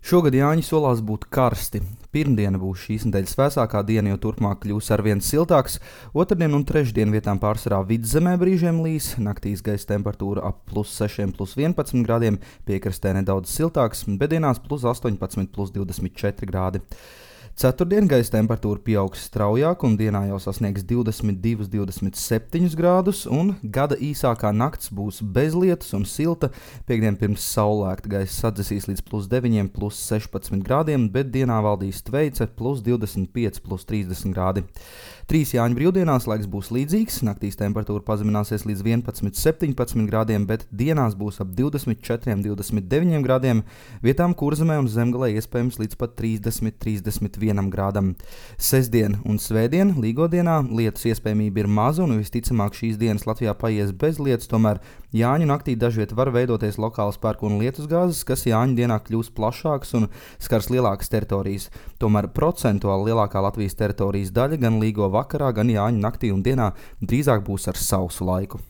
Šogad Jāņi solās būt karsti. Pirmdiena būs šīs nedēļas vēsākā diena, jo turpmāk kļūs arvien siltāks. Otrdien un trešdien vietām pārsvarā vidzemē brīžiem līs, naktīs gaisa temperatūra ap +6, +11 grādiem, piekrastē nedaudz siltāks, bet dienās +18, +24 grādi. Ceturtdien gaisa temperatūra pieaugs straujāk un dienā jau sasniegs 22, 27 grādus, un gada īsākā nakts būs bez lietus un silta. Piektdien pirms saulēkta gaisa sadzesīs līdz +9, +16 grādiem, bet dienā valdīs tveice +25, +30 grādi. 3 Jāņu brīvdienās laiks būs līdzīgs, naktīs temperatūra pazemināsies līdz 11, 17 grādiem, bet dienās būs ap 24, 29 grādiem, vietām Kurzemē un Zemgalē iespējams līdz pat 30, 31 grādam. Sestdien un svētdien, Līgodienā, lietus iespējamība ir maza un visticamāk šīs dienas Latvijā paies bez lietus, tomēr Jāņu naktī dažviet var veidoties lokāls pērkona lietusgāzes, kas Jāņu dienā kļūs plašāks un skars lielākas teritorijas. Tomēr procentuāli lielākā Latvijas teritorijas daļa gan Līgo vakarā, gan Jāņu naktī un dienā drīzāk būs ar sausu laiku.